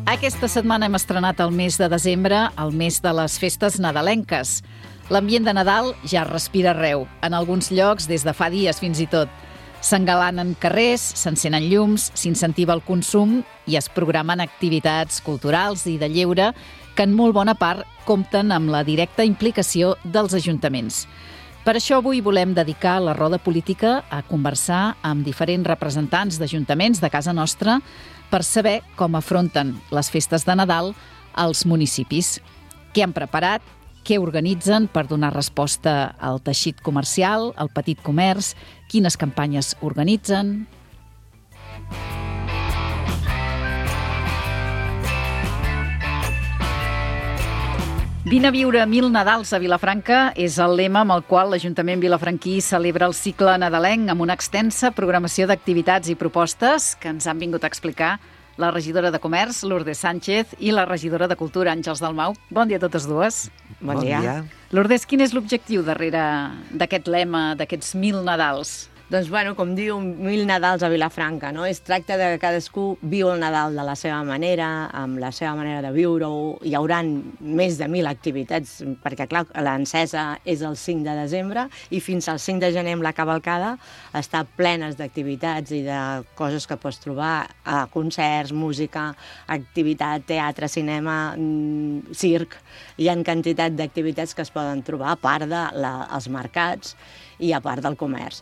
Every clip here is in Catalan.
Aquesta setmana hem estrenat el mes de desembre, el mes de les festes nadalenques. L'ambient de Nadal ja es respira arreu, en alguns llocs des de fa dies fins i tot. S'engalanen carrers, s'encenen llums, s'incentiva el consum i es programen activitats culturals i de lleure que en molt bona part compten amb la directa implicació dels ajuntaments. Per això avui volem dedicar la roda política a conversar amb diferents representants d'ajuntaments de casa nostra per saber com afronten les festes de Nadal als municipis. Què han preparat, què organitzen per donar resposta al teixit comercial, al petit comerç, quines campanyes organitzen. Vine a viure 1000 Nadals a Vilafranca és el lema amb el qual l'Ajuntament vilafranquí celebra el cicle nadalenc amb una extensa programació d'activitats i propostes que ens han vingut a explicar la regidora de Comerç, Lourdes Sánchez, i la regidora de Cultura, Àngels Dalmau. Bon dia a totes dues. Bon dia. Lourdes, quin és l'objectiu darrere d'aquest lema, d'aquests 1000 Nadals? Doncs, com diu, 1000 Nadals a Vilafranca, no? Es tracta de que cadascú viu el Nadal de la seva manera, amb la seva manera de viure-ho. Hi haurà més de 1000 activitats, perquè, clar, l'encesa és el 5 de desembre i fins al 5 de gener amb la cavalcada està plenes d'activitats i de coses que pots trobar, concerts, música, activitat, teatre, cinema, circ. Hi ha quantitat d'activitats que es poden trobar, a part dels mercats i a part del comerç.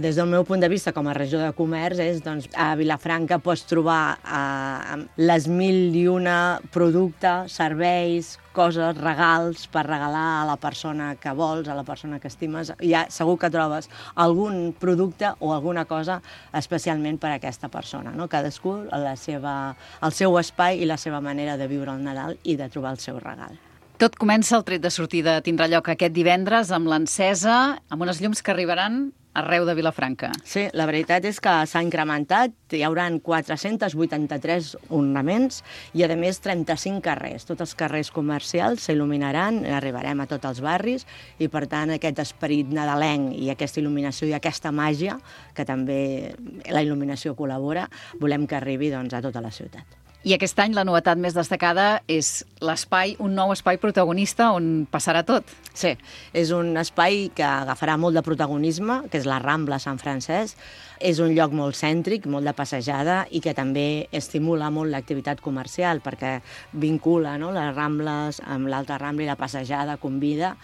Des del meu punt de vista, com a regidor de comerç, a Vilafranca pots trobar les 1001 productes, serveis, coses, regals per regalar a la persona que vols, a la persona que estimes. Segur que trobes algun producte o alguna cosa especialment per a aquesta persona, no? Cadascú el seu espai i la seva manera de viure el Nadal i de trobar el seu regal. Tot comença el tret de sortida. Tindrà lloc aquest divendres amb l'encesa, amb unes llums que arribaran arreu de Vilafranca. Sí, la veritat és que s'ha incrementat. Hi haurà 483 ornaments i, a més, 35 carrers. Tots els carrers comercials s'il·luminaran, arribarem a tots els barris i, per tant, aquest esperit nadalenc i aquesta il·luminació i aquesta màgia, que també la il·luminació col·labora, volem que arribi a tota la ciutat. I aquest any la novetat més destacada és l'espai, un nou espai protagonista on passarà tot. Sí, és un espai que agafarà molt de protagonisme, que és la Rambla Sant Francesc. És un lloc molt cèntric, molt de passejada i que també estimula molt l'activitat comercial perquè vincula les Rambles amb l'Alta Rambla i la passejada convida.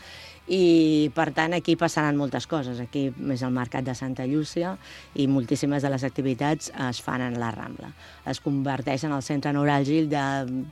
I, per tant, aquí passaran moltes coses. Aquí és el Mercat de Santa Llúcia i moltíssimes de les activitats es fan en la Rambla. Es converteix en el centre neuràlgic de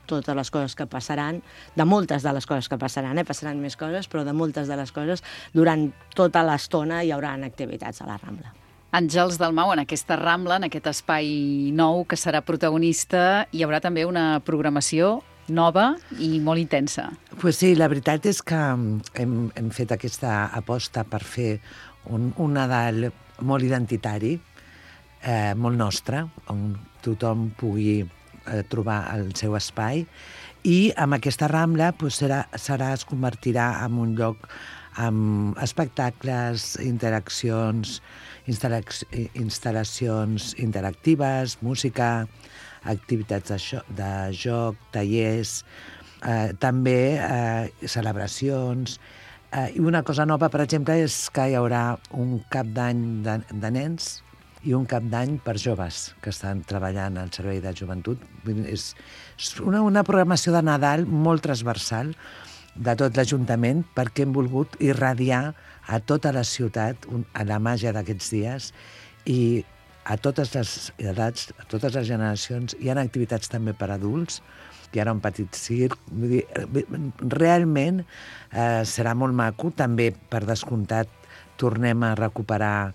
totes les coses que passaran, de moltes de les coses que passaran, passaran més coses, però de moltes de les coses durant tota l'estona hi haurà activitats a la Rambla. Àngels Dalmau, en aquesta Rambla, en aquest espai nou que serà protagonista, hi haurà també una programació nova i molt intensa. Pues sí, la veritat és que hem fet aquesta aposta per fer un Nadal molt identitari, molt nostre, on tothom pugui trobar el seu espai, i amb aquesta Rambla es convertirà en un lloc amb espectacles, interaccions, instal·lacions interactives, música, activitats de joc, tallers, també celebracions. I una cosa nova, per exemple, és que hi haurà un cap d'any de nens i un cap d'any per joves que estan treballant al servei de joventut. És una programació de Nadal molt transversal de tot l'Ajuntament perquè hem volgut irradiar a tota la ciutat a la màgia d'aquests dies i a totes les edats, a totes les generacions. Hi ha activitats també per adults, hi ha un petit circ. Vull dir, realment serà molt maco. També, per descomptat, tornem a recuperar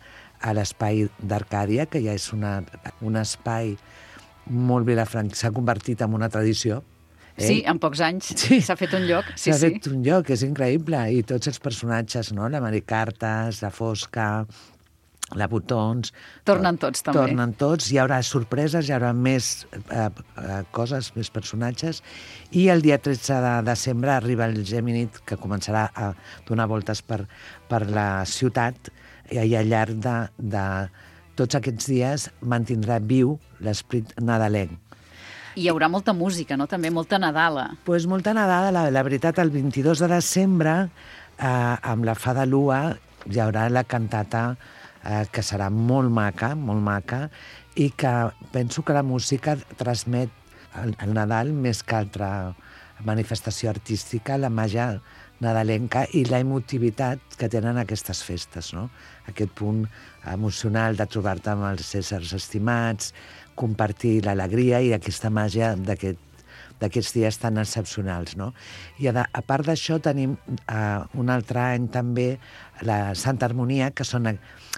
l'espai d'Arcàdia, que ja és un espai molt vilafranc, s'ha convertit en una tradició. Sí, en pocs anys s'ha fet un lloc. S'ha fet un lloc, és increïble. I tots els personatges, no? La Maricartes, la Fosca, la Botons... Tornen tots, també. Tornen tots, hi haurà sorpreses, hi haurà més coses, més personatges, i el dia 13 de desembre arriba el Gemínid, que començarà a donar voltes per la ciutat, i al llarg de tots aquests dies mantindrà viu l'esprit nadalenc. I hi haurà molta música, no? També molta Nadala. Pues molta Nadala, la veritat, el 22 de desembre, amb la Fada Lua, hi haurà la cantata que serà molt maca, i que penso que la música transmet el Nadal més que altra manifestació artística, la màgia nadalenca i la emotivitat que tenen aquestes festes, no? Aquest punt emocional de trobar-te amb els éssers estimats, compartir l'alegria i aquesta màgia d'aquests dies tan excepcionals, no? I a part d'això tenim un altre any també la Santa Harmonia, que són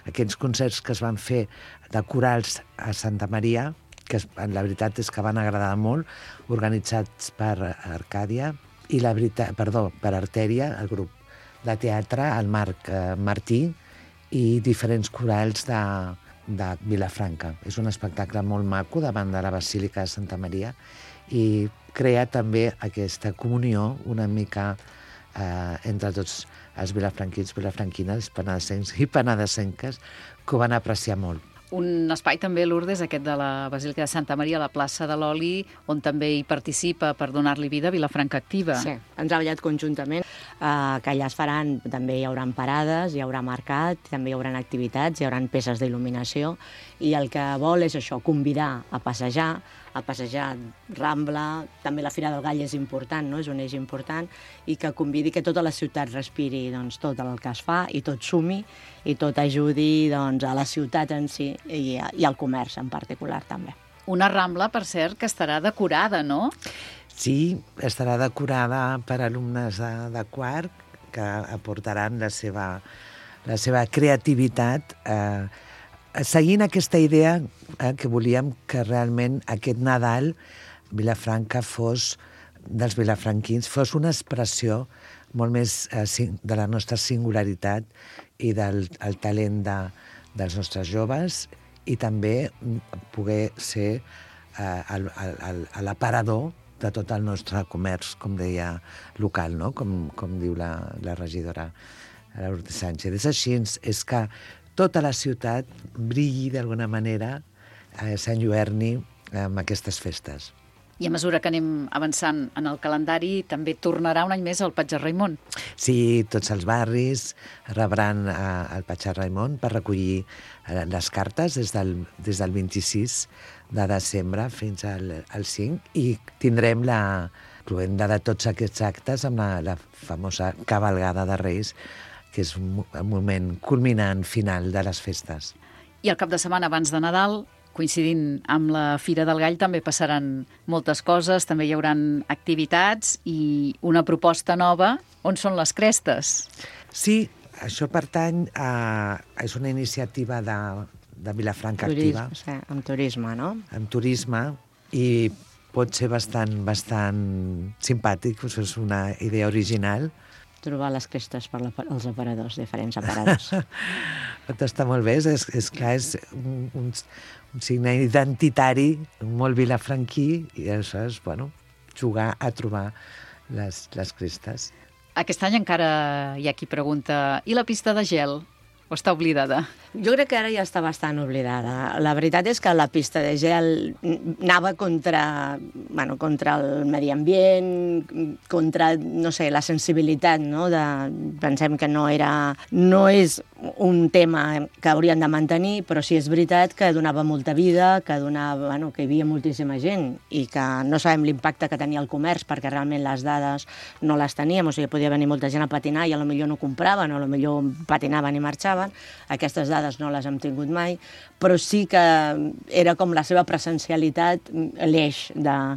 aquells concerts que es van fer de corals a Santa Maria, que la veritat és que van agradar molt, organitzats per Arcàdia, per Artèria, el grup de teatre, el Marc Martí, i diferents corals de Vilafranca. És un espectacle molt maco davant de la Basílica de Santa Maria i crea també aquesta comunió una mica entre tots els vilafranquins, vilafranquines, penedesencs i penedesenques, que ho van apreciar molt. Un espai també, Lourdes, aquest de la Basílica de Santa Maria, a la plaça de l'Oli, on també hi participa per donar-li vida Vilafranca Activa. Sí, hem treballat conjuntament, que allà es faran, també hi haurà parades, hi haurà mercat, també hi haurà activitats, hi haurà peces d'il·luminació, i el que vol és això, convidar a passejar Rambla, també la Fira del Gall és important, no? És un eix important, i que convidi que tota la ciutat respiri tot el que es fa i tot sumi i tot ajudi a la ciutat en si i al comerç en particular també. Una Rambla, per cert, que estarà decorada, no? Sí, estarà decorada per alumnes de quart que aportaran la seva creativitat seguint aquesta idea que volíem que realment aquest Nadal Vilafranca dels vilafranquins fos una expressió molt més de la nostra singularitat i del talent dels nostres joves, i també poder ser l'aparador de tot el nostre comerç, com deia, local, no? Com diu la regidora Lourdes Sánchez. És així, és que tota la ciutat brilli d'alguna manera, s'enlluerni amb aquestes festes. I a mesura que anem avançant en el calendari, també tornarà un any més el Patge Raimon. Sí, tots els barris rebran el Patge Raimon per recollir les cartes des del 26 de desembre fins al 5, i tindrem la cloenda de tots aquests actes amb la famosa cavalgada de Reis, que és un moment culminant final de les festes. I el cap de setmana abans de Nadal, coincidint amb la Fira del Gall, també passaran moltes coses, també hi haurà activitats i una proposta nova. On són les crestes? Sí, això pertany és una iniciativa de Vilafranca Activa. Sí, amb turisme, no? Amb turisme, i pot ser bastant simpàtic, és una idea original. Trobar les crestes per als aparadors, diferents aparadors. Tot està molt bé, és clar, és un signe identitari molt vilafranquí, i això és, jugar a trobar les crestes. Aquest any encara hi ha qui pregunta, i la pista de gel? O està oblidada? Jo crec que ara ja està bastant oblidada. La veritat és que la pista de gel anava contra el medi ambient, contra, no sé, la sensibilitat, no? Pensem que no és un tema que haurien de mantenir, però sí és veritat que donava molta vida, que hi havia moltíssima gent i que no sabem l'impacte que tenia el comerç, perquè realment les dades no les teníem, o sigui, podia venir molta gent a patinar i potser no compraven, o potser patinaven i marxaven. Aquestes dades no les hem tingut mai, però sí que era com la seva presencialitat, l'eix de...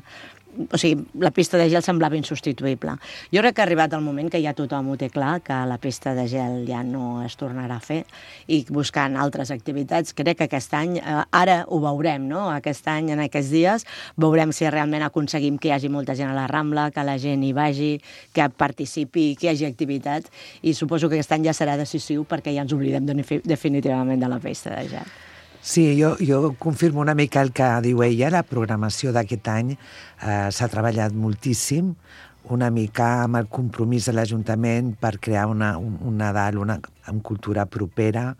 O sigui, la pista de gel semblava insubstituïble. Jo crec que ha arribat el moment que ja tothom ho té clar, que la pista de gel ja no es tornarà a fer, i buscant altres activitats, crec que aquest any, ara ho veurem, no? Aquest any, en aquests dies, veurem si realment aconseguim que hi hagi molta gent a la Rambla, que la gent hi vagi, que participi, que hi hagi activitat, i suposo que aquest any ja serà decisiu perquè ja ens oblidem definitivament de la pista de gel. Sí, jo confirmo una mica el que diu ella. La programació d'aquest any s'ha treballat moltíssim, una mica amb el compromís de l'Ajuntament per crear un Nadal amb cultura propera,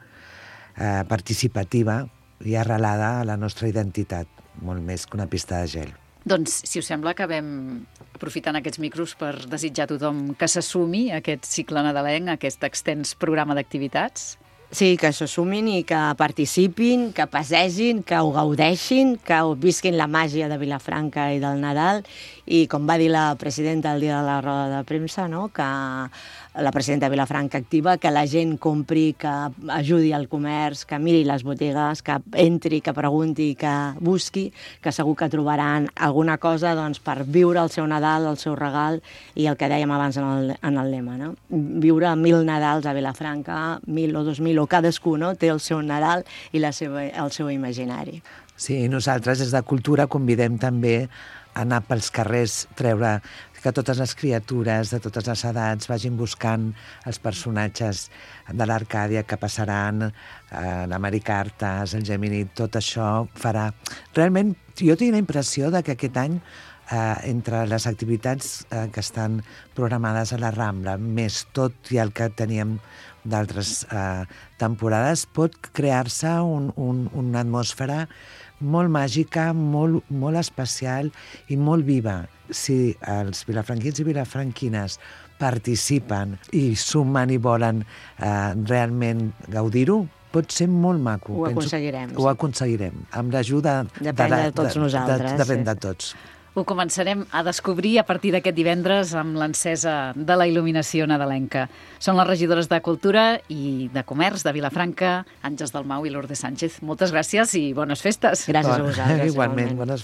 participativa i arrelada a la nostra identitat, molt més que una pista de gel. Doncs, si us sembla, acabem aprofitant aquests micros per desitjar a tothom que s'assumi a aquest cicle nadalenc, a aquest extens programa d'activitats. Sí, que s'ho sumin i que participin, que passegin, que ho gaudeixin, que ho visquin la màgia de Vilafranca i del Nadal. I com va dir la presidenta el dia de la roda de premsa, no? Que la presidenta de Vilafranca activa, que la gent compri, que ajudi al comerç, que miri les botigues, que entri, que pregunti, que busqui, que segur que trobaran alguna cosa doncs, per viure el seu Nadal, el seu regal i el que dèiem abans en el lema, no? Viure 1000 Nadals a Vilafranca, 1000 o 2000, o cadascú, no? Té el seu Nadal i el seu imaginari. Sí, nosaltres des de Cultura convidem també a anar pels carrers, treure que totes les criatures de totes les edats vagin buscant els personatges de l'Arcàdia que passaran, la Mari Cartes, el Gemini, tot això farà... Realment, jo tinc la impressió de que aquest any, entre les activitats que estan programades a la Rambla, més tot i el que teníem d'altres temporades, pot crear-se una atmosfera molt màgica, molt especial i molt viva. Si els vilafranquins i vilafranquines participen i sumen i volen realment gaudir-ho, pot ser molt maco. Ho aconseguirem. Ho aconseguirem, amb l'ajuda Depèn de tots nosaltres. Depèn de tots. Ho començarem a descobrir a partir d'aquest divendres amb l'encesa de la il·luminació nadalenca. Són les regidores de Cultura i de Comerç de Vilafranca, Àngels Dalmau i Lourdes Sánchez. Moltes gràcies i bones festes. Gràcies a vosaltres. Igualment, bones festes.